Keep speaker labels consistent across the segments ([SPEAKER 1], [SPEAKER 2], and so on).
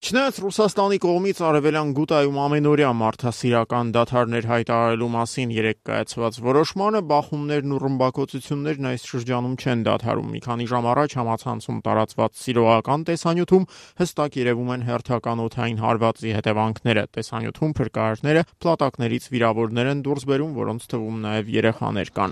[SPEAKER 1] Չնայած Ռուսաստանի կողմից արևելյան Գուտայում ամենօրյա մարդասիրական դադարներ հայտարարելու մասին երեկ կայացված որոշմանը, բախումներն ու ռմբակոծություններն այս շրջանում չեն դադարում։ Մի քանի ժամ առաջ համացանցում տարածված սիրողական տեսանյութում հստակ երևում են հերթական օդային հարվածի հետևանքները։ Տեսանյութում փրկարարները փլատակներից վիրավորներ են դուրս բերում, որոնց թվում նաև երեխաներ կան։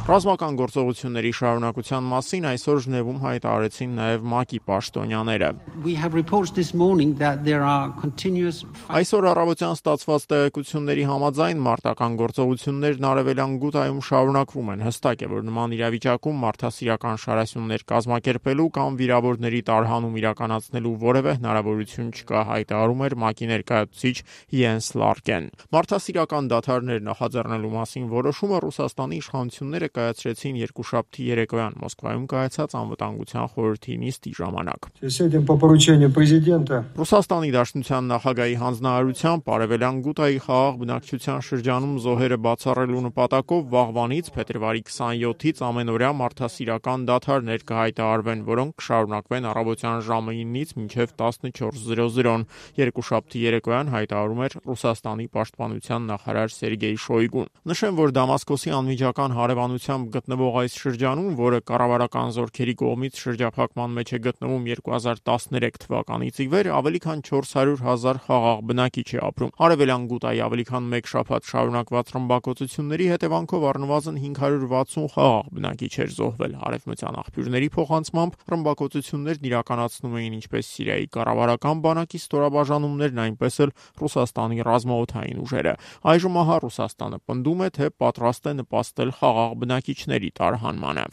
[SPEAKER 1] Ռազմական գործողությունների շարունակության մասին այսօր Ժնևում հայտարարեցին նաև ՄԱԿ-ի պաշտոնյաները։ Այսօր առավոտյան ստացված տեղեկությունների համաձայն մարտական գործողություններն արևելյան Գուտայում շարունակվում են։ Հստակ է, որ նման իրավիճակում մարդասիրական շարասյուններ կազմակերպելու կամ վիրավորների տարհանում իրականացնելու որևէ հնարավորություն չկա, հայտարարում էր ՄԱԿ-ի ներկայացուցիչ Յենս Լարկեն։ Մարդասիրական դադարներ նախաձեռնելու մասին որոշումը Ռուսաստանի իշխանությունները կայացրեցին երկուշաբթի երեկոյան Մոսկվայում կայացած անվտանգության խորհրդի նիստի ժամանակ։ Ռուսաստանի Դաշնության նախագահի հանձնարարությամբ արևելյան Գուտայի խաղաղ բնակչության շրջանում զոհերը բացառելու նպատակով վաղվանից փետրվարի 27-ից ամենօրյա մարդասիրական դադարներ կհայտարարվեն, որոնք կշարունակվեն առավոտյան ժամը 9-ից մինչև 14:00-ն։ Երկուշաբթի երեկոյան հայտարարում էր Ռուսաստանի պաշտպանության նախարար Սերգեյ Շոյգուն։ Նշեմ, որ Դամասկոսի անմիջական հարևանությամբ գտնվող այս շրջանում, որը կառավարական զորքերի կողմից շրջափակման մեջ է գտնվում 2013 թվականից ի վեր, ավելի քան 400,000 խաղաղ բնակիչ է ապրում։ Արևելյան Գուտայի ավելի քան մեկ շաբաթ շարունակված ռմբակոծությունների հետևանքով առնվազն 560 խաղաղ բնակիչ էր զոհվել։ Արևմտյան աղբյուրների փոխանցմամբ ռմբակոծություններն իրականացնում էին ինչպես Սիրիայի կառավարական բանակի ստորաբաժանումներն, այնպես էլ Ռուսաստանի ռազմաօդային ուժերը։ Այժմ ահա Ռուսաստանը պնդում է, թե պատրաստ է նպաստել խաղաղ բնակիչների տարհանմանը։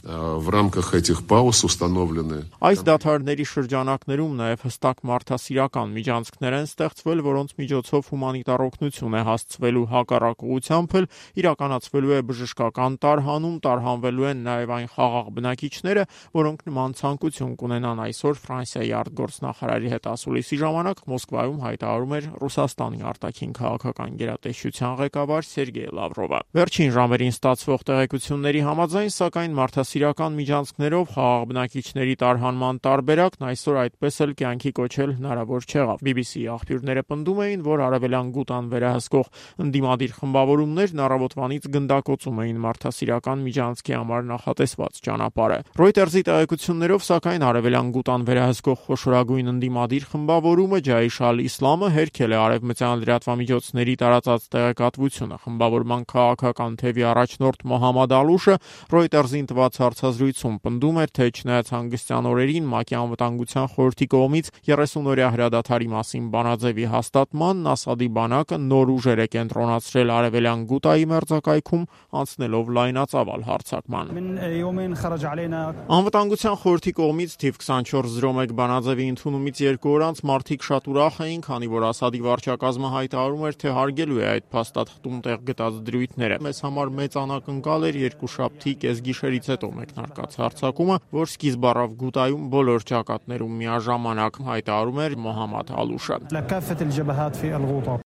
[SPEAKER 1] Այս դադարների շրջանակներում նաև հստակ մարդասիրական միջանցքներ են ստեղծվել, որոնց միջոցով հումանիտար օգնություն է հասցվելու, հակառակ ուղղությամբ էլ իրականացվելու է բժշկական տարհանում, տարհանվելու են նաև այն խաղաղ բնակիչները, որոնք նման ցանկություն կունենան, այսօր Ֆրանսիայի արտգործնախարարի հետ ասուլիսի ժամանակ Մոսկվայում հայտարարում էր Ռուսաստանի արտաքին քաղաքական գերատեսչության ղեկավար Սերգեյ Լավրովը։ Վերջին ժամերին ստացվող տեղեկությունների համաձայն, սակայն մարդասիրական միջանցքներով խաղաղ բնակիչների տարհանման տարբերակն այսօր այդպես էլ կյանքի կոչել հնարավոր չեղավ։ BBC-ի աղբյուրները պնդում էին, որ արևելյան Գուտան վերահսկող ընդդիմադիր խմբավորումներն առավոտվանից գնդակոծում էին մարդասիրական միջանցքի համար նախատեսված ճանապարհը։ Reuters-ի տեղեկություններով, սակայն արևելյան Գուտան վերահսկող խոշորագույն ընդդիմադիր խմբավորումը Ջայշ ալ-Իսլամը հերքել է արևմտյան լրատվամիջոցների տարածած տեղեկատվությունը։ Խմբավորման քաղաքական թևի առաջնորդ Մոհամմադ Ալուշը Reuters-ին տված հարցազրույցում պնդում էր, թե չնայած հանգստյան օրերին ՄԱԿ-ի անվտանգության խորհրդի կողմից 30-օրյա հրադադարի մասին բանաձևի հաստատմանն Ասադի բանակը նոր ուժեր է կենտրոնացրել արևելյան Գուտայի մերձակայքում, անցնելով լայնածավալ հարձակման։ Անվտանգության խորհրդի կողմից թիվ 2401 բանաձևի ընդունումից 2 օր անց մարդիկ շատ ուրախ էին, քանի որ Ասադի վարչակազմը հայտարարում էր, թե հարգելու է այդ փաստաթղթում տեղ գտած դրույթները։ Մեզ համար մեծ անակնկալ էր երկուշաբթի կեսգիշերից հետո մեկնարկած հարձակումը, որ սկիզբ առավ Գուտայում բոլոր ճակատներում միաժամանակ, հայտարարում էր Մոհամմադ Ալուշը։